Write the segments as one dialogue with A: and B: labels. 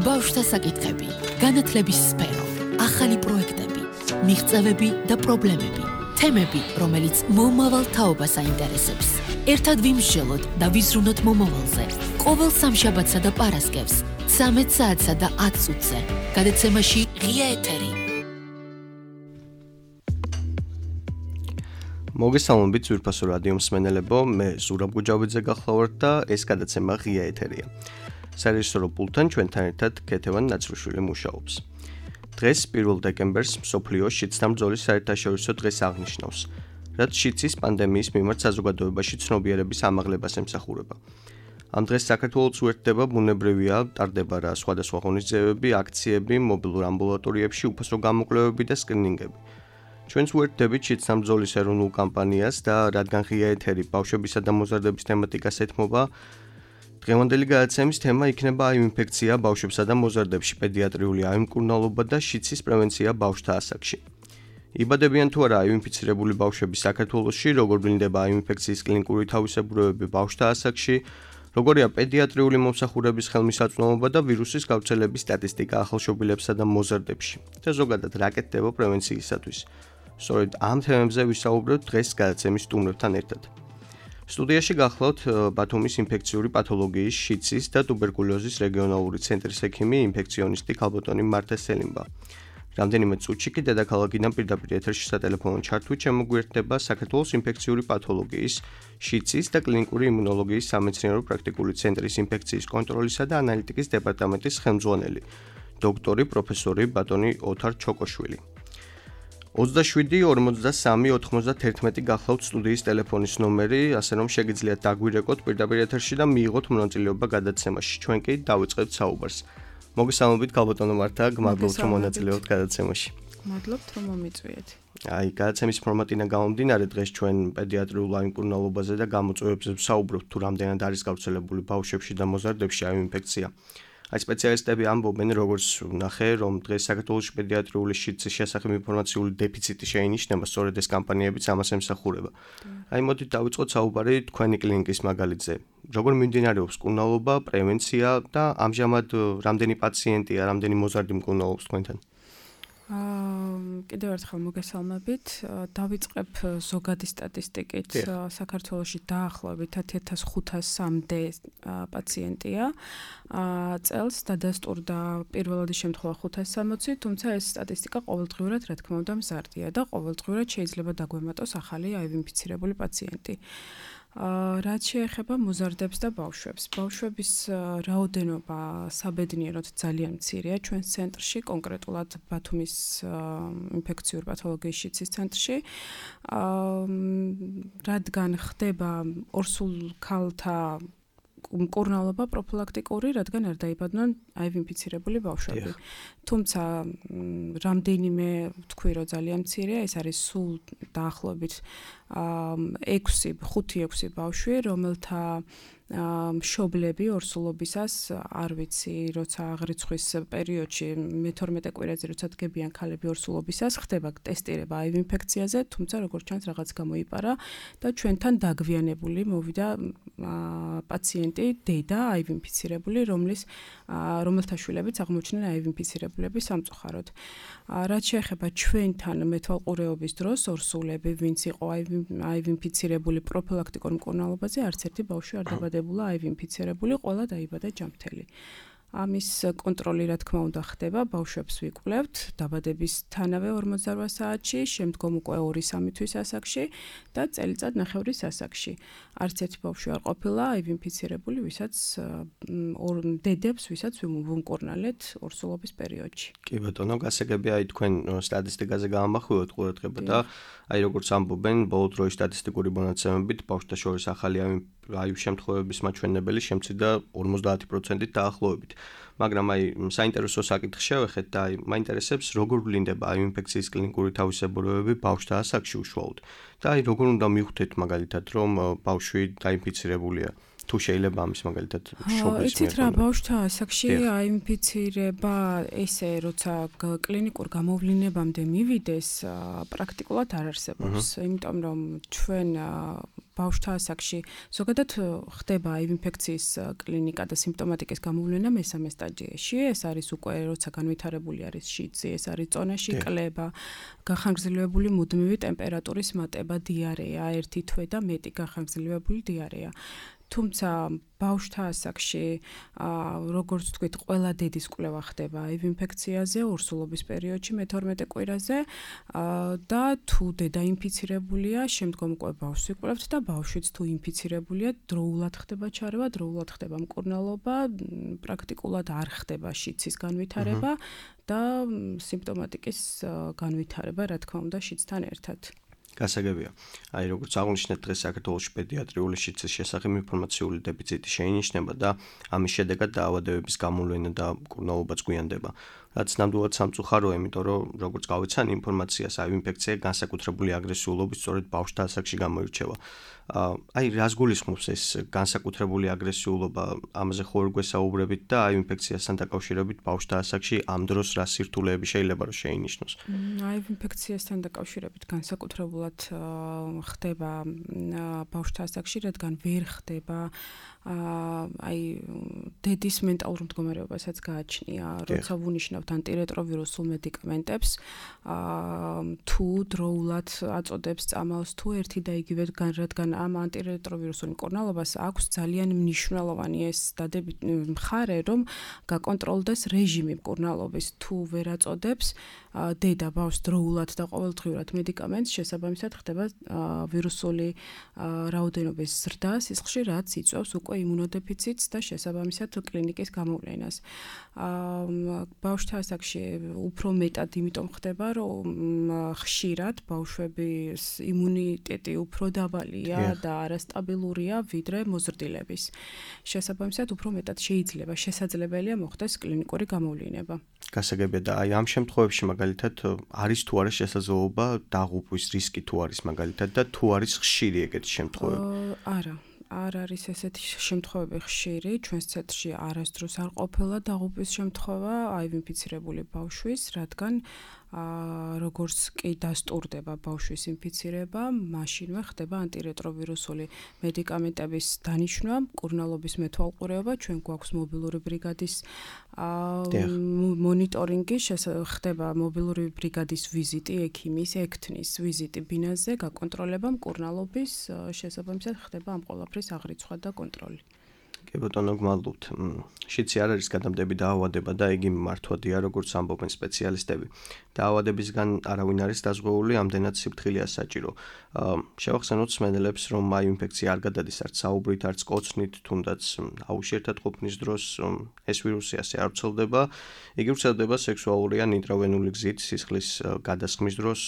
A: ბავშვთა საკითხები, განათლების სფერო, ახალი პროექტები, მიღწევები და პრობლემები, თემები, რომელიც მომავალ თაობას აინტერესებს. ერთად ვიმსჯელოთ და ვიზრუნოთ მომავალზე. ყოველ სამშაბათსა და პარასკევს, 13 საათსა და 10 წუთზე. გადაცემაში ღია ეთერი.
B: მოგესალმებით ძვირფასო რადიო მსმენელებო, მე ზურაბ გუჯავიძე გახლავართ და ეს გადაცემა ღია ეთერია. სარეჟისორო პულტთან ჩვენთან ერთად ქეთევან ნაცრუშვილი მუშაობს. დღეს 1 დეკემბერს მსოფლიო შიდსთან ბრძოლის საერთაშორისო დღეს აღნიშნავს, რაც შიდსის პანდემიის მიმართ საზოგადოებაში ცნობიერების ამაღლებას ემსახურება. ამ დღეს საქართველოს უერთდება ბუნებრივია, ტარდება რა სხვადასხვა ღონისძიებები, აქციები, მობილურ ამბულატორიებში უფასო გამოკვლევები და სკრინინგები. ჩვენც უერთდებით შიდსთან ბრძოლის ეროვნულ კამპანიას და რადგან ღია ეთერი ბავშვებისა და მოზარდების თემატიკას ეთმობა, დღევანდელი გადაცემის თემა იქნება აივ ინფექცია ბავშვებსა და მოზარდებში, პედიატრიული აივ მკურნალობა და შიდსის პრევენცია ბავშვთა ასაკში. იბადებიან თუ არა აივ ინფიცირებული ბავშვები საქართველოში, როგორ ვლინდება აივ ინფექციის კლინიკური თავისებურებები ბავშვთა ასაკში, როგორია პედიატრიული მომსახურების ხელმისაწვდომობა და ვირუსის გავრცელების სტატისტიკა ახალშობილებსა და მოზარდებში და ზოგადად რა კეთდება პრევენციისათვის. სწორედ ამ თემებზე ვისაუბრებთ დღეს გადაცემის სტუმრებთან ერთად. სტუდიაში გახლავთ ბათუმის ინფექციური პათოლოგიის, შიდსის და ტუბერკულოზის რეგიონალური ცენტრის ექიმი, ინფექციონისტი ქალბატონი მარტა სელიმბა. რამდენიმე წუთში კი დედაქალაქიდან პირდაპირ ეთერში სატელეფონო ჩართვით შემოგვიერთდება საქართველოს ინფექციური პათოლოგიის, შიდსის და კლინიკური იმუნოლოგიის სამეცნიერო პრაქტიკული ცენტრის ინფექციის კონტროლისა და ანალიტიკის დეპარტამენტის ხელმძღვანელი, დოქტორი პროფესორი ბატონი ოთარ ჩოკოშვილი. 27-43-91 გახლავთ სტუდიის ტელეფონის ნომერი, ასე რომ შეგიძლიათ დაგვირეკოთ პირდაპირ ეთერში და მიიღოთ მონაწილეობა გადაცემაში. ჩვენ კი დავიწყებთ საუბარს. მოგესალმებით ქალბატონო მარტა, გმადლობთ რომ მონაწილეობთ გადაცემაში.
C: მადლობთ რომ მომიწვიეთ.
B: აი, გადაცემის ფორმატიდან გამომდინარე, დღეს ჩვენ პედიატრიულ აივ მკურნალობაზე და გამოწვევებზე ვსაუბრობთ, თუ რამდენად არის გავრცელებული ბავშვებში და მოზარდებში აივ ინფექცია. აი, სპეციალისტები ამბობენ, როგორც ვნახე, რომ დღეს საქართველოში პედიატრიული შიდსის შესახებ ინფორმაციული დეფიციტი შეინიშნება, სწორედ ეს კამპანიებიც ამას ემსახურება. აი, მოდით დავიწყოთ საუბარი თქვენი კლინიკის მაგალითზე. როგორ მიმდინარეობს მკურნალობა, პრევენცია და ამჟამად რამდენი პაციენტია, რამდენი მოზარდი მკურნალობს თქვენთან?
C: კიდევ ერთხელ მოგესალმებით. დავიწყებ ზოგადი სტატისტიკით. საქართველოში დაახლოებით 1500-მდე პაციენტია წელს დადასტურდა პირველადი შემთხვევა 560, თუმცა ეს სტატისტიკა ყოველდღიურად რა თქმა უნდა მზარდია და ყოველდღიურად შეიძლება დაგვემატოს ახალი აივ ინფიცირებული პაციენტი. რაც შეეხება მოზარდებს და ბავშვებს. ბავშვების რაოდენობა საბედნიეროდ ძალიან მცირეა ჩვენს ცენტრში, კონკრეტულად ბათუმის ინფექციური პათოლოგიის შიდსის ცენტრში. რადგან ხდება ორსულ ქალთა მკურნალობა პროფილაქტიკური, რადგან არ დაიბადნენ აივ ინფიცირებული ბავშვები. თუმცა რამდენიმე ვთქვი, რომ ძალიან მცირეა, ეს არის სულ დაახლოებით 5-6 ბავშვი, რომელთა მშობლები ორსულობისას არ ვიცი, როცა აღრიცხვის პერიოდში მე-12 კვირაზე როცა დგებიან ქალები ორსულობისას, ხდება ტესტირება აივ ინფექციაზე, თუმცა როგორც ჩანს რაღაც გამოიპარა და ჩვენთან დაგვიანებული მოვიდა პაციენტი, დედა აივ ინფიცირებული, რომელთა შვილებიც აღმოჩნდნენ აივ ინფიცირებულები სამწუხაროდ. რაც შეეხება ჩვენთან მეთვალყურეობის დროს ორსულები, ვინც იყო აივ ინფიცირებული პროფილაქტიკურ მკურნალობაზე, არც ერთი ბავშვი არ დაბადებულა აივ ინფიცირებული, ყველა დაიბადა ჯანმრთელი. ამის კონტროლი რა თქმა უნდა ხდება, ბავშვებს ვიკვლევთ დაბადებისთანავე 48 საათში, შემდგომ უკვე 2-3 თვის ასაკში და წელიწად-ნახევრის ასაკში. არც ერთი ბავშვი არ ყოფილა აივ ინფიცირებული, დედებს, ვისაც ვუმკურნალეთ ორსულობის პერიოდში.
B: კი ბატონო, გასაგებია აი თქვენ სტატისტიკაზე გამახვილოთ ყურადღება და აი როგორც ამბობენ, ბოლო დროის სტატისტიკური მონაცემებით ბავშვთა შორის ახალი აივ შემთხვევების მაჩვენებელი შემცირდა 50%-ით დაახლოებით. მაგრამ აი საინტერესო საკითხი შევეხეთ და აი მაინტერესებს როგორ ვლინდება აივ ინფექციის კლინიკური თავისებურებები ბავშვთა ასაკში უშუალოდ. და აი როგორ უნდა მივხვდეთ მაგალითად რომ ბავშვი დაინფიცირებულია თუ შეიძლება ამის მაგალითად შობლის
C: იცით რა, ბავშვთა ასაკში აინფიცირება ესე როცა კლინიკურ გამოვლენებამდე მივიდეს, პრაქტიკულად არ არსებობს, იმიტომ რომ ჩვენ ბავშვთა ასაკში ზოგადად ხდება ინფექციის კლინიკა და სიმპტომატიკის გამოვლენა მესამე სტადიაში. ეს არის უკვე როცა განვითარებული არის შიცი, ეს არის წონაში კლება, გახანგრძლივებული მუდმივი ტემპერატურის მატება, დიარეა, ერთი თვე და მეტი გახანგრძლივებული დიარეა. თუმცა ბავშვთა ასაკში, როგორც თქვით, ყველა დედის კვლევა ხდება HIV ინფექციაზე ორსულობის პერიოდში მე-12 კვირაზე და თუ დედა ინფიცირებულია, შემდგომ უკვე ბავშვს ვიკვლევთ და ბავშვიც თუ ინფიცირებულია, დროულად ხდება ჩარევა, დროულად ხდება მკურნალობა, პრაქტიკულად არ ხდება შიცის განვითარება და სიმპტომატიკის განვითარება, რა თქმა უნდა, შიცთან ერთად.
B: გასაგებია. Აი როგორც აღნიშნეთ, დღეს საქართველოში პედიატრიული შიცის შესახებ ინფორმაციული დეფიციტი შეინიშნება და ამის შედეგად დაავადებების გამოვლენა და მკურნალობაც გვიანდება. რაც ნამდვილად სამწუხაროა, იმიტომ რომ როგორც გავიცან ინფორმაციას, HIV ინფექცია განსაკუთრებული აგრესიულობით სწორედ ბავშვთა ასაკში გამოირჩევა. აი რას გულისხმობს ეს განსაკუთრებული აგრესიულობა, ამაზე ხო ვერ გვესაუბრებით და HIV ინფექციასთან დაკავშირებით ბავშვთა ასაკში ამ დროს რა სირთულეები შეიძლება რომ შეინიშნოს?
C: HIV ინფექციასთან დაკავშირებით განსაკუთრებულად ხდება ბავშვთა ასაკში, რადგან ვერ ხდება აი დედის მენტალურ მდგომარეობასაც გააჩნია, როცა ვუნიშნავთ ანტირეტროვირუსულ მედიკამენტებს, თუ დროულად აწოდებს წამალს, თუ ერთი და იგივე რადგან ამ ანტირეტროვირუსულ მკურნალობას აქვს ძალიან მნიშვნელოვანი ეს დადებით მხარე, რომ გაკონტროლდეს რეჟიმი მკურნალობის, თუ ვერ აწოდებს დედა ბავშვს დროულად და ყოველდღიურად მედიკამენტს, შესაბამისად ხდება ვირუსული რაოდენობის ზრდა სისხლში, რაც იწვევს უკვე იმუნოდეფიციტს და შესაბამისად კლინიკის გამოვლენას. ბავშვთა ასაკში უფრო მეტად იმიტომ ხდება, რომ ხშირად ბავშვების იმუნიტეტი უფრო დაბალია და არასტაბილურია ვიდრე მოზრდილების. შესაბამისად უფრო მეტად შესაძლებელია მოხდეს კლინიკური გამოვლინება.
B: გასაგებია და აი ამ შემთხვევებში მაგალითად არის თუ არა შესაძლებლობა დაღუპვის რისკი თუ არის მაგალითად და თუ არის ხშირი ეგეთი შემთხვევები?
C: არა. არ არის ესეთი შემთხვევები ხშირი, ჩვენს ცენტრში არასდროს არ ყოფილა დაღუპვის შემთხვევა HIV ინფიცირებული ბავშვის, რადგან როგორც კი დასტურდება ბავშვის ინფიცირება, მაშინვე ხდება ანტირეტროვირუსული მედიკამენტების დანიშვნა, მკურნალობის მეთვალყურეობა, ჩვენ გვაქვს მობილური ბრიგადის მონიტორინგი, ხდება მობილური ბრიგადის ვიზიტი, ექიმის, ექთნის ვიზიტი ბინაზე, გაკონტროლება მკურნალობის, შესაბამისად ხდება ამ ყველაფრის აღრიცხვა და კონტროლი.
B: კი ბატონო, გმადლობთ. შიცი არ არის გადამდები დაავადება და იგი მართვადია, როგორც ამბობენ სპეციალისტები. დაავადებისგან არავინ არის დაზღვეული, ამდენად სიფრთხილეა საჭირო. შევახსენოთ მსმენელებს, რომ HIV ინფექცია არ გადადის არც საუბრით, არც კოცნით, თუნდაც აუში-ერთად ყოფნის დროს ეს ვირუსი ასე არ ვრცელდება. იგი ვრცელდება სექსუალური ან ინტრავენული გზით, სისხლის გადასხმის დროს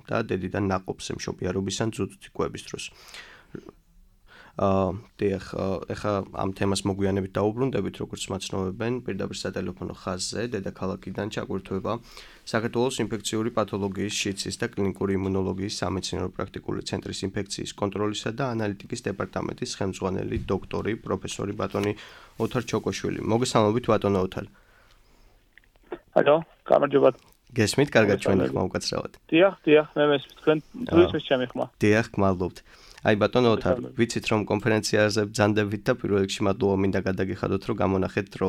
B: და დედიდან ნაყოფს მშობიარობის ან ძუძუთი კვების დროს. ეხა ამ თემას მოგვიანებით დაუბრუნდებით, როგორც მაცნობებენ, პირდაპირ სატელეფონო ხაზზე დედაქალაქიდან ჩაგვირთვება საქართველოს ინფექციური პათოლოგიის, შიცის და კლინიკური იმუნოლოგიის სამეცნიერო პრაქტიკული ცენტრის ინფექციის კონტროლისა და ანალიტიკის დეპარტამენტის ხელმძღვანელი დოქტორი, პროფესორი ბატონი ოთარ ჩოკოშვილი. მოგესალმებით ბატონო ოთარ.
D: ალო, გამარჯობა.
B: გესმით, კარგად ჩვენი ხმა უკაცრავად.
D: დიახ, მე მესმის თქვენ დღის ჩემი ხმა.
B: დიახ, გმადლობთ. აი ბატონო ოთარ, ვიცით რომ კონფერენციაზე ბრძანდებით და პირველ რიგში მადლობა მინდა გადაგიხადოთ, რომ გამონახეთ დრო.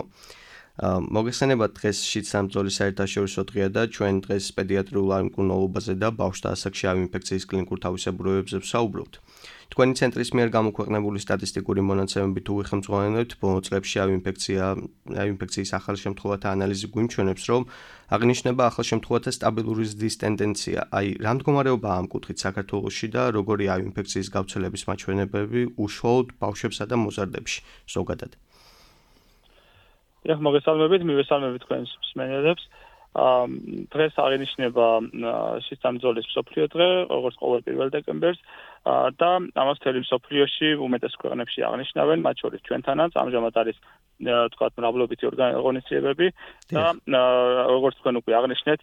B: მოგეხსენებათ დღეს შიდსამბრძოლის საერთაშორისო დღეა და ჩვენ დღეს პედიატრიულ მკურნალობაზე და ბავშვთა ასაკში HIV ინფექციის კლინიკურ თავისებურებებზე ვსაუბრობთ. თქვენი ცენტრის მიერ გამოქვეყნებული სტატისტიკური მონაცემებით უხელმძღვანელობთ ბოლო წლებში HIV ინფექციის ახალ შემთხვევათა ანალიზი გვიმჩვენებს, რომ აღნიშნება ახალ შემთხვევათა სტაბილური ზრდის ტენდენცია. აი, რა მდგომარეობაა ამ კუთხით საქართველოში და როგორი HIV ინფექციის გავრცელების მაჩვენებები უშუალოდ ბავშვებსა და მოზარდებში ზოგადად?
D: მოგესალმებით, მივესალმებით თქვენს მსმენელებს. დღეს აღინიშნება შესამძოლის მსოფლიო დღე, როგორც ყოველ 1 დეკემბერს და ამას მთელი მსოფლიოში უმეტეს ქვეყნებში აღნიშნავენ, მათ შორის ჩვენთანაც ამჟამად არის თქვათ მრავლობითი ორგანიზაციებები და როგორც თქვენ უკვე აღნიშნეთ,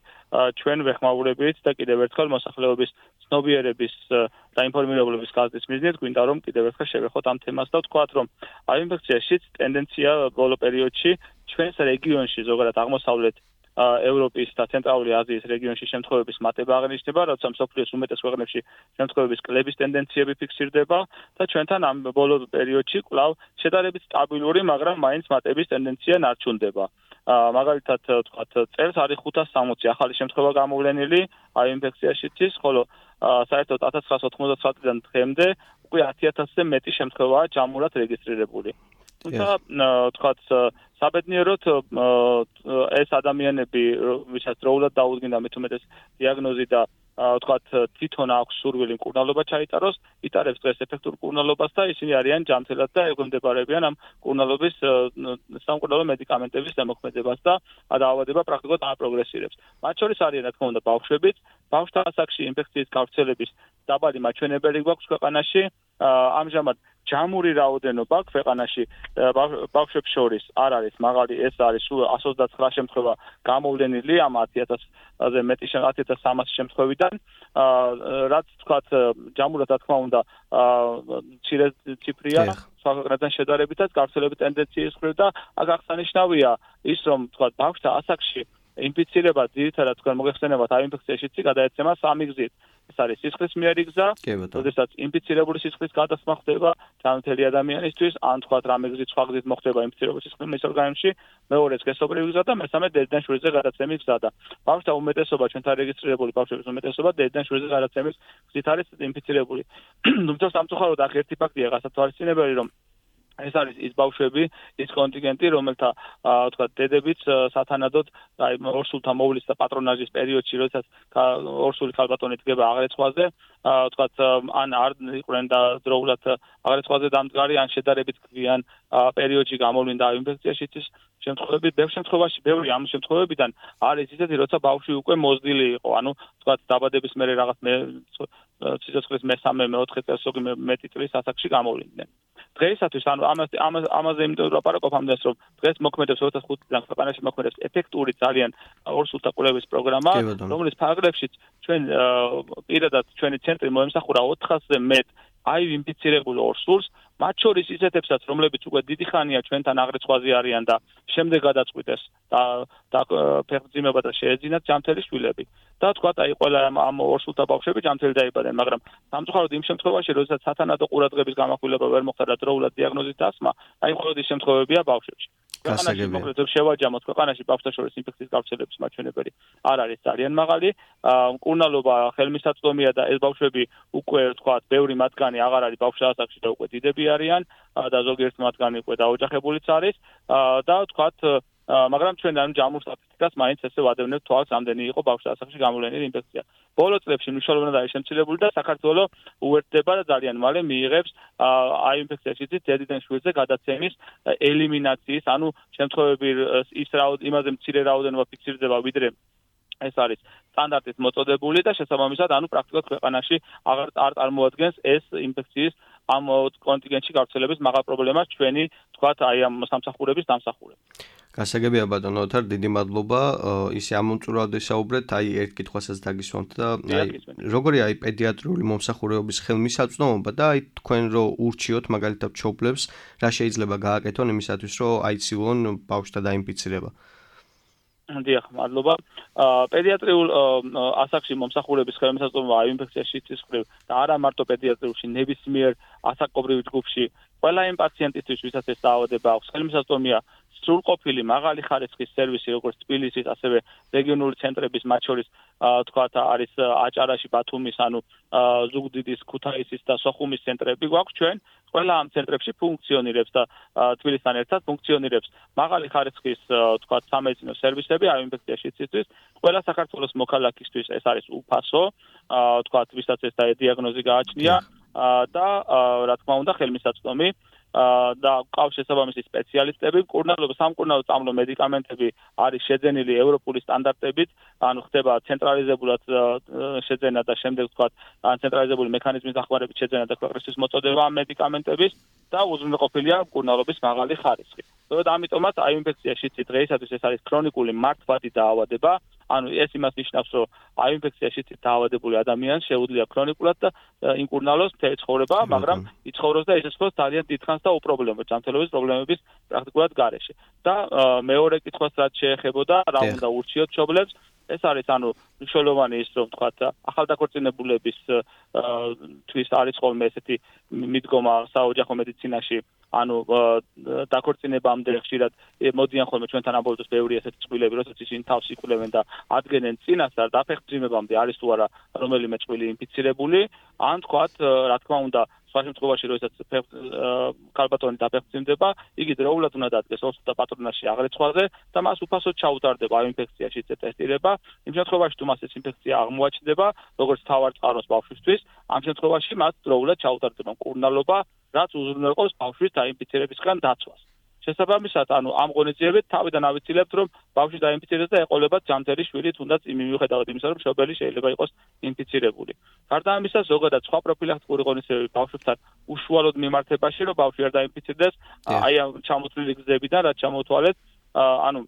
D: ჩვენ ვეხმაურებით და კიდევ ერთხელ მოსახლეობის ცნობიერების და ინფორმირებლობის გაზრდის მიზნით გვინდა რომ კიდევ ერთხელ შევეხოთ ამ თემას და ვთქვათ რომ აი ინფექციაშიც ტენდენცია ბოლო პერიოდში ჩვენს რეგიონში ზოგადად აღმოსავლეთ ევროპის და ცენტრალური აზიის რეგიონში შემთხვევების მატება აღნიშნება, როცა მსოფლიოს უმეტეს ქვეყნებში შემთხვევების კლების ტენდენციები ფიქსირდება და ჩვენთან ამ ბოლო პერიოდში კვლავ შედარებით სტაბილური, მაგრამ მაინც მატების ტენდენცია ნარჩუნდება. მაგალითად, ვთქვათ, წელს არის 560 ახალი შემთხვევა გამოვლენილი აი ინფექციაშიც, ხოლო საერთოდ 1999-დან დღემდე უკვე 10000-ზე მეტი შემთხვევაა ჯამურად რეგისტრირებული. თუმცა, ვთქვათ, საბედნიეროდ ეს ადამიანები, ვისაც დროულად დაუდგინდა მithumetes დიაგნოზი და ვთქვათ, თვითონ აქვს სურვილი მკურნალობა ჩაიტაროს, იტარებს დღეს ეფექტურ მკურნალობას და ისინი არიან ჯანმრთელად და ეგვემდებარებიან ამ მკურნალობის სამკურნალო მედიკამენტების ზემოქმედებას და დაავადება პრაქტიკულად აპროგრესირებს. მათ შორის არიან, რა თქმა უნდა, ბავშვებიც, ბავშვთა ასაკში ინფექციის გავრცელების დაბალი მაჩვენებელი გვაქვს ქვეყანაში, ამჟამად ჯამური რაოდენობა ქვეყანაში ბავშვებს შორის არ არის მაღალი, ეს არის 129 შემთხვევა გამოვლენილი ამ 10000-ზე მეტი 10300 შემთხვევიდან, რაც თქვათ ჯამურად რა თქმა უნდა მცირე ციფრია სხვა ქვეყნებთან შედარებითაც გავრცელების ტენდენციის მხრივ და აქ აღსანიშნავია ის რომ თქვათ ბავშვთა ასაკში ინფიცირება ძირითადად თქვენ მოგეხსენებათ აი ინფექციაშიც გადაეცემა 3 გზით. ეს არის სისხლის მიერი გზა, როდესაც ინფიცირებული სისხლის გადასხმა ხდება ჯანმრთელი ადამიანისთვის, ან თქვათ რამე გზით სხვა გზით მოხდება ინფიცირებული სისხლის მის ორგანიზმში, მეორე სქესობრივი გზა და მესამე დედიდან შვილზე გადაცემის გზა და ბავშვთა უმეტესობა ჩვენთან რეგისტრირებული ბავშვების უმეტესობა დედიდან შვილზე გადაცემის გზით არის ინფიცირებული. თუმცა სამწუხაროდ აქ ერთი ფაქტია გასათვალისწინებელი, რომ ეს არის ის ბავშვები, ის კონტინგენტი, რომელთა თქვათ დედებიც სათანადოდ აი ორსულთა მოვლის და პატრონაჟის პერიოდში, როდესაც ორსული ქალბატონი დგება აღრიცხვაზე, თქვათ ან არ იყვნენ და დროულად აღრიცხვაზე დამდგარი, ან შედარებით გვიან პერიოდში გამოვლინდა ინფექციაშიც შემთხვევები, ბევრ შემთხვევაში, ბევრი ამ შემთხვევებიდან არის ისეთი, როცა ბავშვი უკვე მოზრდილი იყო, ანუ თქვათ დაბადების მერე რაღაც სიცოცხლის მესამე, მეოთხე წელსოგი მეტი წლის ასაკში გამოვლინდნენ. დღეისათვის ანუ ამაზე იმიტომ ვაპარაკობ ამდენს რომ დღეს მოქმედებს 2005-დან ქვეყანაში მოქმედებს ეფექტური ძალიან ორსულთა კვლევის პროგრამა, რომლის ფარგლებშიც ჩვენ პირადად ჩვენი ცენტრი მოემსახურა 400-ზე მეტ აი ინფიცირებულ ორსულს, მათ შორის ისეთებსაც, რომლებიც უკვე დიდი ხანია ჩვენთან აღრიცხვაზე არიან და შემდეგ გადაწყვიტეს და ფეხმძიმება და შეეძინათ ჯანმრთელი შვილები. და თქვათ, აი ყველა ამ ორსულთა ბავშვები ჯანმრთელი დაიბადნენ, მაგრამ სამწუხაროდ იმ შემთხვევაში, როდესაც სათანადო ყურადღების გამახვილება ვერ მოხდა და დროულად დიაგნოზის დასმა, აი მხოლოდ ის შემთხვევებია ბავშვებში. ქვეყანაში მოკლედ შევაჯამოთ, ქვეყანაში ბავშვთა შორის ინფექციის გავრცელების მაჩვენებელი არ არის ძალიან მაღალი, მკურნალობა ხელმისაწვდომია და ეს ბავშვები უკვე თქვათ, ბევრი მათგანი აღარ არის ბავშვთა ასაკში და უკვე დიდები არიან და ზოგიერთი მათგანი უკვე დაოჯახებულიც არის და თქვათ მაგრამ ჩვენ ამ ჯამურ სტატისტიკას მაინც ესე ვადევნებთ თვალს, ამდენი იყო ბავშვთა ასაკში გამოვლენილი ინფექცია. ბოლო წლებში მნიშვნელოვნად არის შემცირებული და საქართველოს უერთდება და ძალიან მალე მიიღებს აი ინფექციაშიც დედიდან შვილზე გადაცემის ელიმინაციის, ანუ შემთხვევები იმაზე მცირე რაოდენობა ფიქსირდება, ვიდრე ეს არის სტანდარტით მოწოდებული და შესაბამისად, ანუ პრაქტიკულად ქვეყანაში აღარ წარმოადგენს ეს ინფექციის ამ კონტინგენტში გავრცელების მაღალ პრობლემას ჩვენი, თქვათ, აი ამ სამსახურების დამსახურება.
B: გასაგებია ბატონო ოთარ, დიდი მადლობა. ისე ამომწურავად ვისაუბრეთ, აი ერთ კითხვასაც დაგისვამთ და აი როგორია აი პედიატრიული მომსახურებების ხელმისაწვდომობა და აი თქვენ რო ურჩიოთ მაგალითად მშობლებს, რა შეიძლება გააკეთონ იმისათვის, რომ აიცილონ ბავშვთა დაინფიცირება.
D: დიახ, მადლობა. პედიატრიულ ასაკში მომსახურების ხელმისაწვდომობა აი ინფექციაში ცისხლივ და არა მარტო პედიატრიულში, ნებისმიერ ასაკობრივ ჯგუფში, ყველა იმ პაციენტისთვის, ვისაც ეს დაავადება აქვს, ხელმისაწვდომია სრულყოფილი მაღალი ხარისხის სერვისი, როგორც თბილისის, ასევე რეგიონული ცენტრების, მათ შორის თქვათ არის აჭარაში, ბათუმის, ანუ ზუგდიდის, ქუთაისის და სოხუმის ცენტრები გვაქვს ჩვენ. ყველა ამ ცენტრებში ფუნქციონირებს და თბილისთან ერთად ფუნქციონირებს მაღალი ხარისხის თქვათ სამედიცინო სერვისები აი ინფექციაშიცისთვის. ყველა საქართველოს მოქალაქისთვის ეს არის უფასო, თქვათ, ვისაც ეს დიაგნოზი გააჩნია და რა თქმა უნდა ხელმისაწვდომი. და ყავს შესაბამისი სპეციალისტები, სამკურნალო წამლო მედიკამენტები არის შეძენილი ევროპული სტანდარტებით, ანუ ხდება ცენტრალიზებულად შეძენა და შემდეგ ვთქვათ, ცენტრალიზებული მექანიზმის დახმარებით შეძენა და ქვეყნისთვის მოწოდება ამ მედიკამენტების და უზრუნველყოფილია მკურნალობის მაღალი ხარისხი. ამიტომაც აი ინფექციაში დღეისათვის ეს არის ქრონიკული მართვადი დაავადება, ანუ ეს იმას ნიშნავს, რომ აი ინფექციაში დაავადებული ადამიანს შეუძლია ქრონიკულად და იმკურნალოს მთელი ცხოვრება, მაგრამ იცხოვროს და ისესხოს ძალიან დიდხანს და უპრობლემო ჯანმრთელობის პრობლემების პრაქტიკულად გარეშე. და მეორე კითხვას რაც შეეხებოდა, რა უნდა ურჩიოთ მშობლებს, ეს არის ანუ მნიშვნელოვანი ის რომ ვთქვათ ახალდაქორწინებულების თვის არის ხოლმე ესეთი მიდგომა საოჯახო მედიცინაში ანუ დაქორწინებამდე ხშირად მოდიან ხოლმე ჩვენთან ამბობთ ბევრი ესეთი წყვილები როდესაც ისინი თავს იკვლევენ და ადგენენ წინასწარ დაფეხმძიმებამდე არის თუ არა რომელიმე წყვილი ინფიცირებული ან ვთქვათ რა თქმა უნდა სხვა შემთხვევაში როდესაც ქალბატონი დაფეხმძიმდება იგი დროულად უნდა დადგეს ოსტატ პატრონაჟში აღრიცხვაზე და მას უფასოდ ჩაუტარდება აი ინფექციაში ტესტირება იმ შემთხვევაში თუ მას ეს ინფექცია აღმოაჩნდება როგორც თავარ წყაროს ბავშვისთვის ამ შემთხვევაში მას დროულად ჩაუტარდება მკურნალობა რაც უზრუნველყოფს ბავშვის დაინფიცირებისგან დაცვას შესაბამისად ანუ ამ ღონისძიებით თავიდან ავიცილებთ რომ ბავშვი დაინფიცირდეს და ეყოლებათ ჯანმრთელი შვილი თუნდაც მიუხედავად იმისა რომ მშობელი შეიძლება იყოს ინფიცირებული. გარდა ამისა ზოგადად სხვა პროფილაქტიკური ღონისძიებები ბავშვებთან უშუალოდ მიმართებაში რომ ბავშვი არ დაინფიცირდეს აი ამ ჩამოთვლილი გზებიდან რაც ჩამოთვალეთ ანუ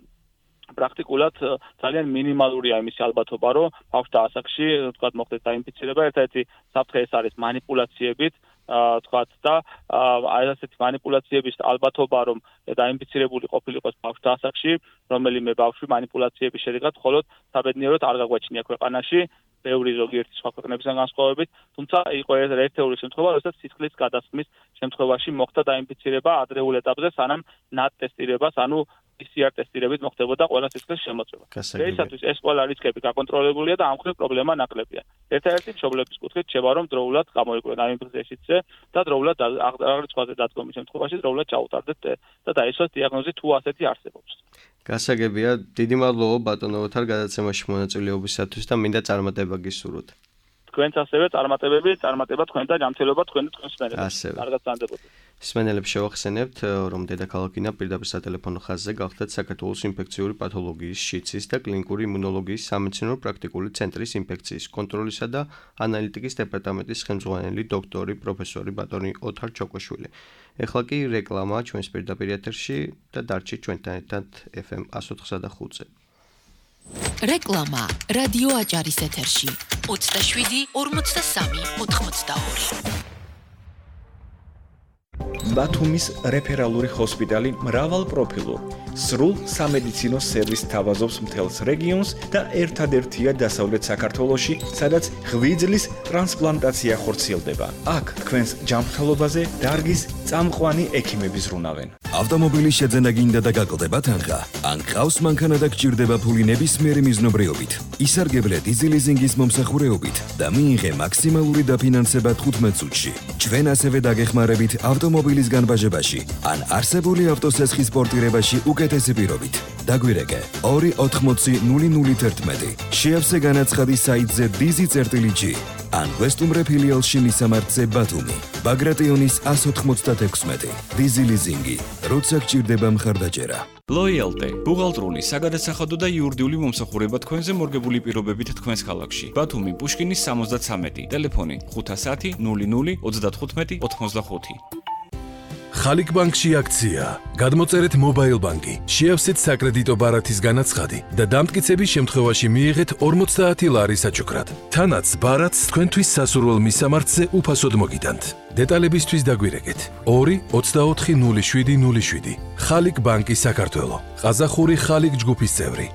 D: პრაქტიკულად ძალიან მინიმალურია იმისი ალბათობა რომ ბავშვთა ასაკში თქვათ მოხდეს დაინფიცირება ერთ-ერთი საფრთხე ეს არის манипуляციებით თქვათ და აი ასეთი манипуляციების ალბათობა რომ დაინფიცირებული ყოფილიყოს ბავშვთა ასაკში რომელიმე ბავშვი манипуляციების შედეგად მხოლოდ საბედნიეროდ არ გაგვაჩნია ქვეყანაში ბევრი ზოგიერთი სხვა ქვეყნებისგან განსხვავებით თუმცა იყო ერთეული შემთხვევა როდესაც სისხლის გადასხმის შემთხვევაში მოხდა დაინფიცირება ადრეულ ეტაპზე სანამ NAT ტესტირებას ანუ PCR ტესტირებით მოხდებოდა ყველა სისხლის შემოწმება. დღეისათვის ეს ყველა რისკები გაკონტროლებულია და ამ მხრივ პრობლემა ნაკლებია. ერთ-ერთი მშობლების კუთხით შევა რომ დროულად გამოიკვლინა ინფექციაშიც და დროულად აღრიცხვაზე დადგომის შემთხვევაში დროულად ჩაუტარდეთ და დაისვათ დიაგნოზი თუ ასეთი არსებობს.
B: გასაგებია, დიდი მადლობა ბატონო ოთარ გადაცემაში მონაწილეობისათვის და მინდა წარმატება გისურვოთ.
D: თქვენც ასევე წარმატება თქვენ და ჯანმრთელობა თქვენ და თქვენს მენელებს. კარგად გრძანდებოდეთ.
B: სმენელებს შევახსენებთ, რომ დედაქალაქინა პირდაპირ სატელეფონო ხაზზე გახდათ საქართველოს ინფექციური პათოლოგიის, შიცის და კლინიკური იმუნოლოგიის სამეცნიერო პრაქტიკული ცენტრის ინფექციის კონტროლისა და ანალიტიკის დეპარტამენტის ხელმძღვანელი დოქტორი პროფესორი ბატონი ოთარ ჩოკოშვილი. ეხლა კი რეკლამა ჩვენს პირდაპირ ეთერში და დარჩით ჩვენთან ერთად FM 104.5-ზე.
A: რეკლამა რადიო აჭარის ეთერში 27 43 82
E: ბათუმის რეფერალური ჰოსპიტალი მრავალპროფილურ სრულ სამედიცინო სერვისს თავაზობს მთელს რეგიონს და ერთადერთია დასავლეთ საქართველოში, სადაც ღვიძლის ტრანსპლანტაცია ხორციელდება. აქ თქვენს ჯანმრთელობაზე დარგის წამყვანი ექიმები ზრუნავენ.
F: ავტომობილის შეძენა გინდა და გაკლდება თანხა. ან ყავს მანქანა და გჭირდება ფული ნებისმიერი მიზნობრიობით. ისარგებლე დიზელიზინგის მომსახურეობით და მიიღე მაქსიმალური დაფინანსება 15 წუთში. ჩვენ ასევე დაგეხმარებით ავტომობილის განბაჟებაში ან არსებული ავტოსესხის პორტირებაში უკეთესი პირობით. დაგვირეკე 280-0011. შეავსე განაცხადი საიტზე dizi.g ან ვესტუმრე ფილიალში მისამართზე ბათუმი. ბაგრატიონის 196. დიზელიზინგი. როცა გჭირდება მხარდაჭერა.
G: Loyalty, ბუღალტრული, საგადასახადო და იურიდიული მომსახურება თქვენზე მორგებული პირობებით თქვენს ქალაქში. ბათუმი, პუშკინის 73, ტელეფონი 510 00 35 85.
H: ხალიქ ბანკში აქცია. გადმოწერეთ მობაილ ბანკი, შეავსეთ საკრედიტო ბარათის განაცხადი და დამტკიცების შემთხვევაში მიიღეთ 50 ლარი საჩუქრად. თანაც ბარათს თქვენთვის სასურველ მისამართზე უფასოდ მოგიტანთ. დეტალებისთვის დაგვირეკეთ 2-24-07-07. ხალიქ ბანკი საქართველო. ყაზახური ხალიქ ჯგუფის წევრი.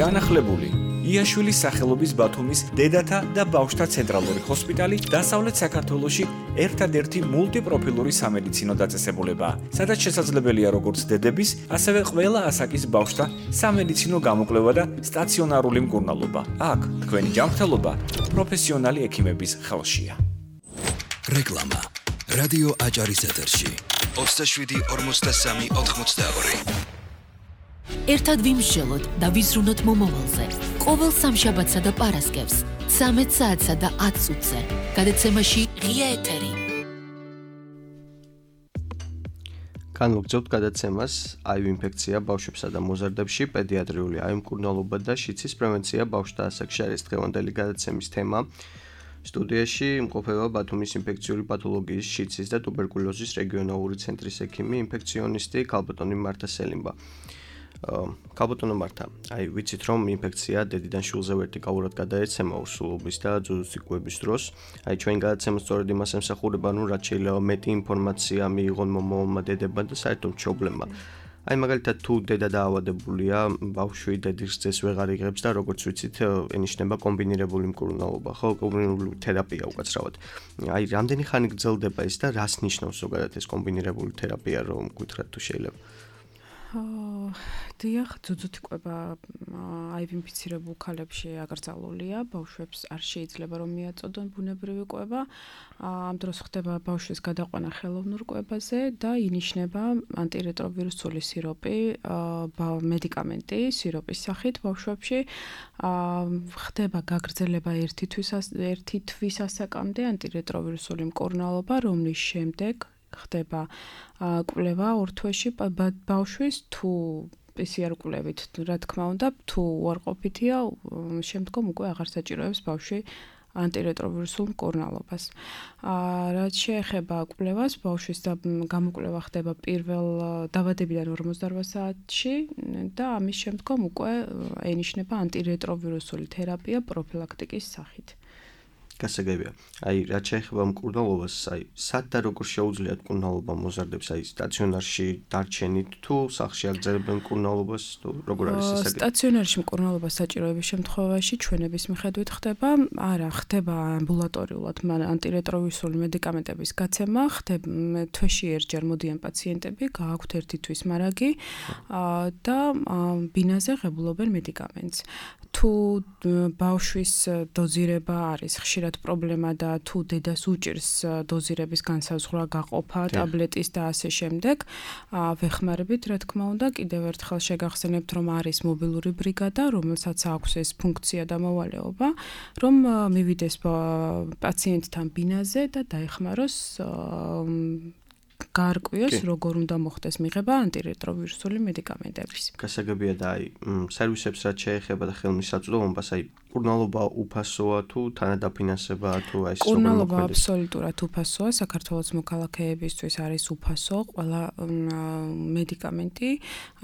E: განახლებული იაშვილის სახელობის ბათუმის დედათა და ბავშვთა ცენტრალური ჰოსპიტალი დასავლეთ საქართველოში ერთადერთი მულტიპროფილური სამედიცინო დაწესებულებაა, სადაც შესაძლებელია როგორც დედების, ასევე ყველა ასაკის ბავშვთა სამედიცინო გამოკვლევა და სტაციონარული მკურნალობა. აქ თქვენი ჯანმრთელობა პროფესიონალი ექიმების ხელშია.
F: რეკლამა რადიო აჭარის ეთერში 27-43-82.
A: ერთად ვიმსჯელოთ და ვიზრუნოთ მომავალზე. ყოველ სამშაბათსა და პარასკევს 13 საათსა და 10 წუთზე. გადაცემაში ღია ეთერი.
B: განვაგრძობთ გადაცემას HIV ინფექცია ბავშვებსა და მოზარდებში, პედიატრიული HIV მკურნალობა და შიცის პრევენცია ბავშვთა ასაკში არის დღევანდელი გადაცემის თემა. სტუდიაში იმყოფება ბათუმის ინფექციური პათოლოგიის, შიცის და ტუბერკულოზის რეგიონალური ცენტრის ექიმი, ინფექციონისტი ქალბატონი მართა სელიმბა. ქალბატონო მართა, ვიცით რომ ინფექცია დედიდან შვილზე ვერტიკალურად გადაეცემა ურსულობის და ძუძუციკუების დროს. Ჩვენ გადაცემა სწორედ იმას ემსახურება, რაც შეიძლება მეტი ინფორმაცია მიიღონ მომავალმა დებებმა და საერთოდ მშობლებმა. მაგალითად თუ დედა დაავადებულია, ბავშვი დედის რძეს ვეღარ იღებს და როგორც ვიცით, ენიშნება კომბინირებული მკურნალობა, ხო, კომბინირებული თერაპია უკაცრავად. რამდენი ხანი გრძელდება ეს და რას ნიშნავს ზოგადად ეს კომბინირებული თერაპია, რომ გითხრათ თუ შეიძლება?
C: დიახ, ძუძუთიკუება HIV ინფიცირებულ ქალებში აკრძალულია, ბავშვებს არ შეიძლება რომ მიაწოდონ ბუნებრივი კვება. ამ დროს ხდება ბავშვის გადაყვანა ხელოვნურ კვებაზე და ინიშნება ანტირეტროვირუსული სიროპი, მედიკამენტი სიროპის სახით ბავშვებში. ხდება გაგრძელება ერთი თვის ასაკამდე ანტირეტროვირუსული მკურნალობა, რომლის შემდეგ ხდება კვლევა ორ თვეში ბავშვის თუ PCR კვლევით, რა თქმა უნდა, თუ უარყოფითია, შემდგომ უკვე აღარ საჭიროებს ბავშვი ანტირეტროვირუსულ მკურნალობას. რაც შეეხება კვლევას, ბავშვის გამოკვლევა ხდება პირველ დაბადებიდან 48 საათში და ამის შემდგომ უკვე ენიშნება ანტირეტროვირუსული თერაპია პროფილაქტიკის სახით.
B: გასაგებია. რაც შეეხება მკურნალობას, სად და როგორ შეუძლიათ მკურნალობა მოზარდებს, სტაციონარში დარჩენით თუ სახლში აგრძელებენ მკურნალობას, თუ როგორ არის ეს?
C: სტაციონარში მკურნალობა საჭიროების შემთხვევაში ჩვენების მიხედვით ხდება, არა, ხდება ამბულატორიულად ანტირეტროვირუსული მედიკამენტების გაცემა, ხდება თვეში ერთჯერ მოდიან პაციენტები, გააქვთ ერთი თვის მარაგი და ბინაზე ღებულობენ მედიკამენტს. თუ ბავშვის დოზირება არის ხშირად პრობლემა და თუ დედას უჭირს დოზირების განსაზღვრა, გაყოფა, ტაბლეტის და ასე შემდეგ, ვეხმარებით, რა თქმა უნდა, კიდევ ერთხელ შეგახსენებთ, რომ არის მობილური ბრიგადა, რომელსაც აქვს ეს ფუნქცია და მოვალეობა, რომ მივიდეს პაციენტთან ბინაზე და დაეხმაროს გაარკვიოს, როგორ უნდა მოხდეს მიღება ანტირეტროვირუსული მედიკამენტების.
B: გასაგებია და სერვისებს რაც შეეხება და ხელმისაწვდომობას, მკურნალობა უფასოა თუ თანადაფინანსებაა თუ ეს როგორ მოქმედებს?
C: მკურნალობა აბსოლუტურად უფასოა, საქართველოს მოქალაქეებისთვის არის უფასო ყველა მედიკამენტი,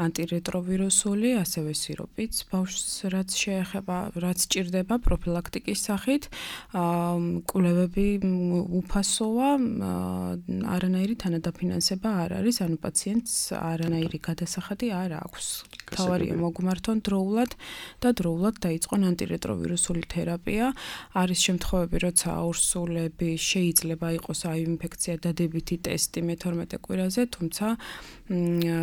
C: ანტირეტროვირუსული, ასევე სიროპიც ბავშვს რაც შეეხება, რაც ჭირდება პროფილაქტიკის სახით, კვლევები უფასოა, არანაირი თანადაფინანსება არ არის, ანუ პაციენტს არანაირი გადასახადი არ აქვს. თავარია მოგმართონ დროულად და დროულად დაიწყონ ანტირეტროვირუსული თერაპია. არის შემთხვევები, როცა აურსულები შეიძლება იყოს HIV ინფექცია დადებითი ტესტი მე-12 კვირაზე, თუმცა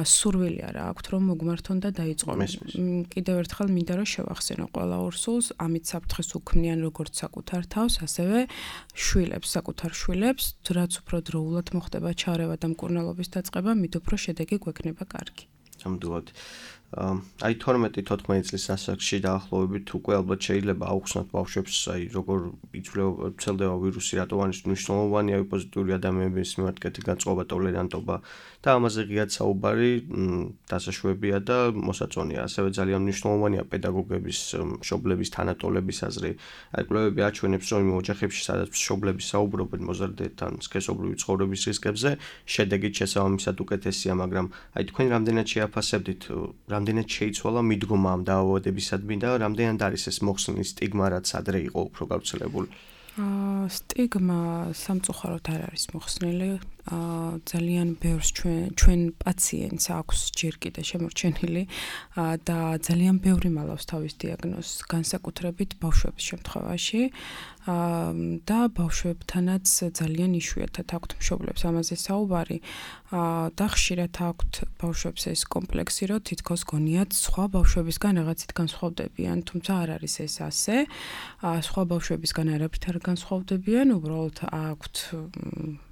C: სურვილი არა აქვთ, რომ მოგმართონ და დაიწყონ. კიდევ ერთხელ მინდა რომ შევახსენო ყველა ურსულს, ამით საფრთხეს უქმნიან როგორც საკუთარ თავს, ასევე შვილებს, საკუთარ შვილებს, რაც უფრო დროულად მოხდება ჩარევა და მკურნალობის დაწყება, მით უფრო შედეგი გვექნება კარგი.
B: ნამდვილად. 12-14 წლის ასაკში დაახლოებით უკვე ალბათ შეიძლება აუხსნათ ბავშვებს, როგორ ვრცელდება ვირუსი, რატო არის მნიშვნელოვანია პოზიტიური ადამიანების მიმართ კეთილი განწყობა, ტოლერანტობა და ამაზე ღიად საუბარი დასაშვებია და მოსაწონია. ასევე ძალიან მნიშვნელოვანია პედაგოგების, მშობლების, თანატოლების აზრი. კვლევები აჩვენებს, რომ იმ ოჯახებში, სადაც მშობლები საუბრობენ მოზარდთან სქესობრივი ცხოვრების რისკებზე, შედეგი შესაბამისად უკეთესია, მაგრამ თქვენ რამდენად შეაფასებდით, რამდენად შეიცვალა მიდგომა ამ დაავადებისადმი და რამდენად არის ეს მოხსნილი სტიგმა, რაც ადრე იყო უფრო გავრცელებული?
C: სტიგმა სამწუხაროდ არ არის მოხსნილი. ძალიან ბევრს ჩვენ პაციენტს აქვს ჯერ კიდე შემორჩენილი და ძალიან ბევრი მალავს თავის დიაგნოზს, განსაკუთრებით ბავშვების შემთხვევაში და ბავშვებთანაც ძალიან იშვიათად აქვთ მშობლებს ამაზე საუბარი და ხშირად აქვთ ბავშვებს ეს კომპლექსი, რომ თითქოს გონიათ სხვა ბავშვებისგან რაღაცით განსხვავდებიან, თუმცა არ არის ეს ასე. სხვა ბავშვებისგან არაფრით არ განსხვავდებიან, უბრალოდ აქვთ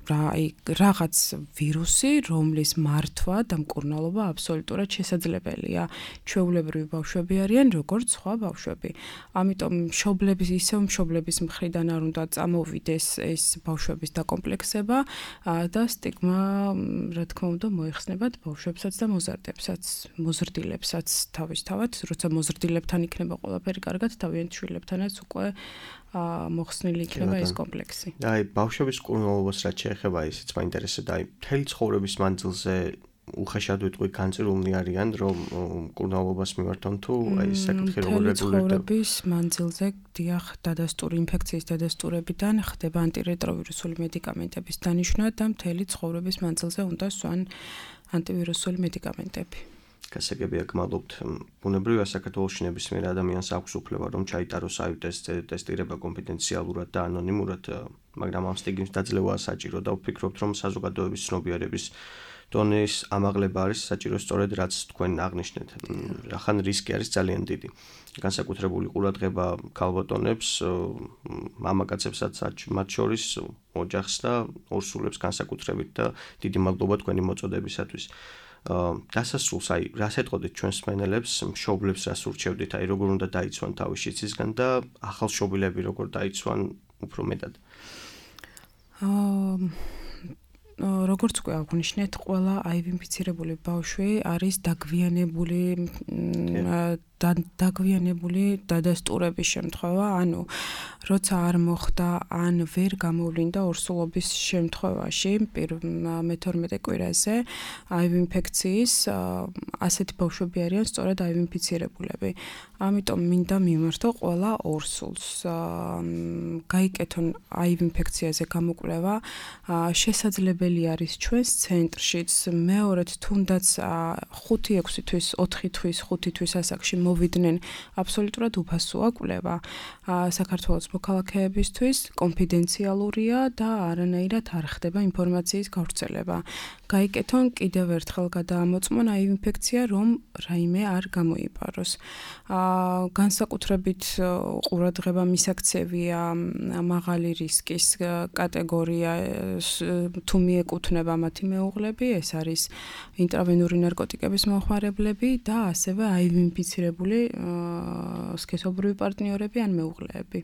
C: რაღაც ვირუსი, რომლის მართვა და მკურნალობა აბსოლუტურად შესაძლებელია. ჩვეულებრივი ბავშვები არიან, როგორც სხვა ბავშვები. ამიტომ მშობლების მხრიდან არ უნდა წამოვიდეს ეს ბავშვების დაკომპლექსება და სტიგმა, რა თქმა უნდა, მოეხსნებათ ბავშვებსაც და მოზრდილებსაც თავისთავად, როცა მოზრდილებთან იქნება ყველაფერი კარგად, თავიანთ შვილებთანაც უკვე მოხსნილი იქნება ეს კომპლექსი.
B: აი, ბავშვების მკურნალობას რაც შეეხება, ისიც მაინტერესებდა, აი, მთელი ცხოვრების მანძილზე უხეშად ვიტყვი განწირულნი არიან, რომ მკურნალობას მიმართონ თუ აი საკითხი როგორ რეგულირდება.
C: ცხოვრების მანძილზე დიახ, დადასტური ინფექციის დადასტურებიდან ხდება ანტირეტროვირუსული მედიკამენტების დანიშვნა და მთელი ცხოვრების მანძილზე უნდა სვან ანტივირუსული მედიკამენტები.
B: გასაგებია, გმადლობთ. ბუნებრივია საქართველოში ნებისმიერ ადამიანს აქვს უფლება რომ ჩაიტაროს აივ ტესტირება კონფიდენციალურად და ანონიმურად, მაგრამ ამ სტიგმის დაძლევაა საჭირო და ვფიქრობთ, რომ საზოგადოების ცნობიერების დონის ამაღლება არის საჭირო სწორედ რაც თქვენ აღნიშნეთ. რახან რისკი არის ძალიან დიდი. განსაკუთრებული ყურადღება ქალბატონებს, მამაკაცებსაც მათ შორის ოჯახს და ორსულებს განსაკუთრებით და დიდი მადლობა თქვენი მოწოდებისათვის. დასასრულს აი რას ეტყოდით ჩვენს მსმენელებს, მშობლებს რას ურჩევდით, აი როგორ უნდა დაიცვან თავის შიცისგან და ახალშობილები როგორ დაიცვან უფრო მეტად. როგორც უკვე აღნიშნეთ, ყველა აივ ინფიცირებული ბავშვი არის დაგვიანებული დადასტურების შემთხვევა, ანუ როცა არ მოხდა ან ვერ გამოვლინდა ორსულობის შემთხვევაში მე-12 კვირაზე აივ ინფექციის ასეთი ბავშვები არიან სწორედ აივ ინფიცირებულები. ამიტომ მინდა მიმართო ყველა ორსულს. გაიკეთონ აივ ინფექციაზე გამოკვლევა, შესაძლებელი არის ჩვენს ცენტრშიც, მეორედ თუნდაც 5-6 თვის, 4 თვის, 5 თვის ასაკში მოვიდნენ აბსოლუტურად უფასოა კვლევა. საქართველოს მოქალაქეებისთვის კონფიდენციალურია და არანაირად არ ხდება ინფორმაციის გავრცელება. გაიკეთონ კიდევ ერთხელ გადაამოწმონ აივ ინფექცია, რომ რაიმე არ გამოიპაროს. განსაკუთრებით ყურადღება მისაქცევია მაღალი რისკის კატეგორია თუ მიეკუთვნება მათი მეუღლები, ეს არის ინტრავენური ნარკოტიკების მომხმარებლები და ასევე აივ ინფიცირებული სქესობრივი პარტნიორები ან მეუღლეები.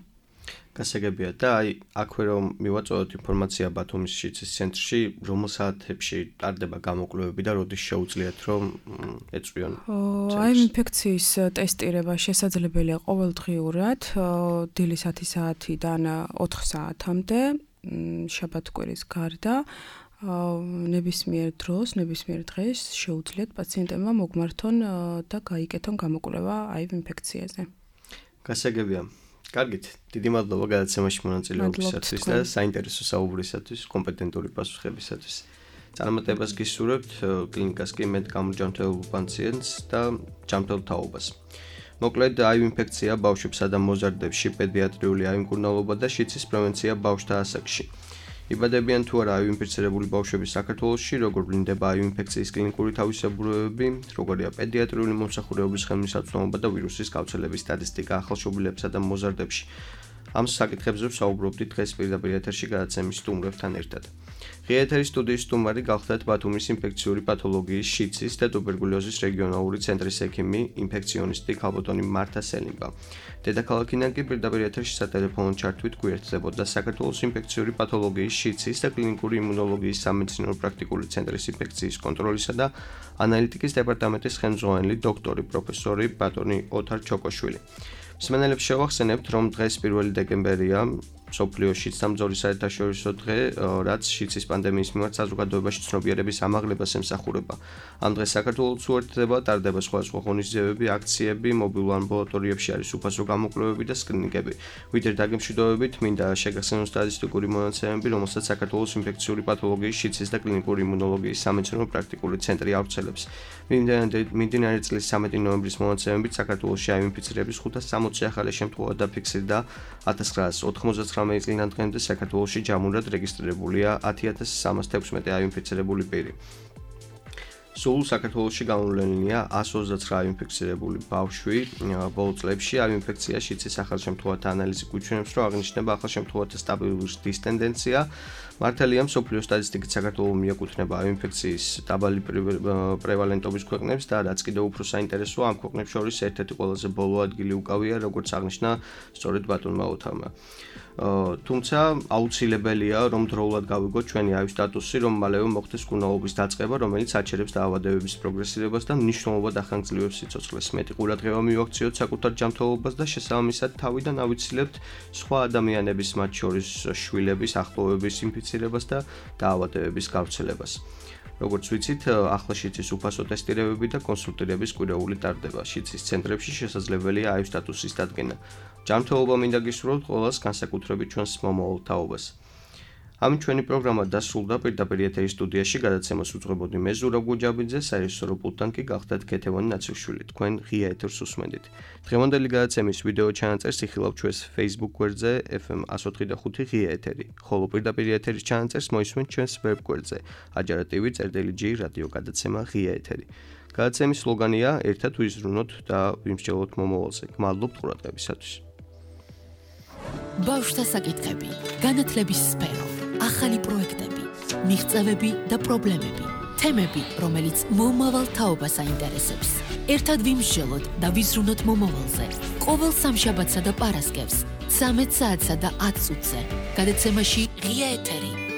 B: გასაგებია და აი აქვე რომ მივაწოდოთ ინფორმაცია ბათუმის შიცის ცენტრში, რომელ საათებში ტარდება გამოკვლევები და როდის შეუძლიათ რომ ეწვიონ?
C: აივ ინფექციის ტესტირება შესაძლებელია ყოველდღიურად დილის 10 საათიდან 4 საათამდე, შაბათ-კვირის გარდა. ნებისმიერ დროს, ნებისმიერ დღეს შეუძლიათ პაციენტებმა მოგმართონ და გაიკეთონ გამოკვლევა აივ ინფექციაზე.
B: გასაგებია. კარგით, დიდი მადლობა გადაცემაში მონაწილეობისათვის და საინტერესო საუბრისათვის, კომპეტენტური პასუხებისათვის. წარმატებას გისურვებთ კლინიკას კი მეტ გამორჯამთებულ პაციენტს და ჯანმრთელ თაობას. მოკლედ, აივ ინფექცია ბავშვებსა და მოზარდებში, პედიატრიული აივ მკურნალობა და შიცის პრევენცია ბავშვთა ასაკში. იბადებიან თუ არა აივ ინფიცირებული ბავშვები საქართველოში, როგორ ვლინდება აივ ინფექციის კლინიკური თავისებურებები, როგორია პედიატრიული მომსახურებების ხელმისაწვდომობა და ვირუსის გავრცელების სტატისტიკა ახალშობილებსა და მოზარდებში. ამ საკითხებზე ვსაუბრობდით დღეს პირდაპირ ეთერში გადაცემის სტუმრებთან ერთად. ღია ეთერის სტუდიის სტუმარი გახლდათ ბათუმის ინფექციური პათოლოგიის, შიცის და ტუბერკულოზის რეგიონალური ცენტრის ექიმი, ინფექციონისტი ქალბატონი მართა სელიმბა. დედაქალაქიდან კი პირდაპირ ეთერში სატელეფონო ჩართვით გვერდდებოდა საქართველოს ინფექციური პათოლოგიის, შიცის და კლინიკური იმუნოლოგიის სამედიცინო პრაქტიკული ცენტრის ინფექციის კონტროლისა და ანალიტიკის დეპარტამენტის ხელმძღვანელი დოქტორი პროფესორი ბატონი ოთარ ჩოკოშვილი. მსმენელებს შევახსენებთ, რომ დღეს 1 დეკემბერია, მსოფლიოში სამძორის საერთაშორისო დღე, რაც შიცის პანდემიის მიმართ საზოგადოებაში ცნობიერების ამაღლებას ემსახურება. ამ დღეს საქართველოს უერთდება, ტარდება სხვადასხვა ღონისძიებები, აქციები, მობილურ ამბულატორიებში არის უფასო გამოკვლევები და სკრინინგები. ვიდრე დაგემშვიდობებით, მინდა შეგახსენოთ სტატისტიკური მონაცემები, რომელსაც საქართველოს ინფექციური პათოლოგიის, შიცის და კლინიკური იმუნოლოგიის სამედიცინო პრაქტიკული ცენტრი ავრცელებს. მიმდინარე წლის 13 ნოემბრის მონაცემებით საქართველოში აივ ინფიცირების 560 ახალი შემთხვევა დაფიქსირდა 1999 წლიდან დღემდე საქართველოში ჯამურად რეგისტრირებულია 10316 აივ ინფიცირებული პირი. სულ საქართველოში გამოვლენილია 129 ინფექცირებული ბავშვი. ბოლო წლებში ამ ინფექციაში იცის ახალშემთხვევათა ანალიზი გვიჩვენებს, რომ აღნიშნება ახალშემთხვევათა სტაბილური ზრდის ტენდენცია. მართალია, მსოფლიო სტატისტიკით საქართველო მიეკუთვნება ამ ინფექციის დაბალი პრევალენტობის ქვეყნებს და რაც კიდევ უფრო საინტერესოა, ამ ქვეყნებს შორის ერთ-ერთი ყველაზე ბოლო ადგილი უკავია, როგორც აღნიშნა სწორედ ბატონმა ოთარმა. თუმცა აუცილებელია, რომ დროულად გავიგოთ ჩვენი აივის სტატუსი, რომ მალევე მოხდეს კურნალობის დაწყება, რომელიც აჩერებს დაავადებების პროგრესირებას და მნიშვნელოვნად ახანგრძლივებს სიცოცხლეს. მეტი ყურადღება მივაქციოთ საკუთარ ჯანმრთელობას და შესაბამისად თავიდან ავიცილებთ სხვა ადამიანების, მათ შორის შვილების, ახლობლების ინფიცირებას და დაავადებების გავრცელებას. როგორც ვიცით, ახლა შიცის უფასო ტესტირებები და კონსულტირების კვირეული ტარდება. შიცის ცენტრებში შესაძლებელია აივის სტატუსის დადგენა. ჯანმრთელობა მინდა გისურვოთ ყველას, განსაკუთრებით ჩვენს მომავალ თაობას. ამ ჩვენი პროგრამა დასრულდა. პირდაპირ ეთერის სტუდიაში გადაცემას უძღვებოდი მე ზურაბ გუჯაბიძე, საერთაშორისო პულტთან კი გახდათ ქეთევანი ნაცრიშვილი. თქვენ ღია ეთერს უსმენდით. დღევანდელი გადაცემის ვიდეო ჩანაწერს იხილავთ ჩვენს Facebook გვერდზე FM 104.5 ღია ეთერი, ხოლო პირდაპირ ეთერის ჩანაწერს მოისმენთ ჩვენს ვებ გვერდზე ajara.tv/G რადიო გადაცემა ღია ეთერი. გადაცემის სლოგანია ერთად ვიზრუნოთ და ვიმსჯელოთ მომავალზე. გმადლობთ ყურადღებისათვის.
A: ბავშვთა საკითხები, განათლების სფერო, ახალი პროექტები, მიღწევები და პრობლემები, თემები, რომელიც მომავალ თაობას აინტერესებს. ერთად ვიმსჯელოთ და ვიზრუნოთ მომავალზე. ყოველ სამშაბათსა და პარასკევს 13 საათსა და 10 წუთზე. გადაცემაში ღია ეთერი.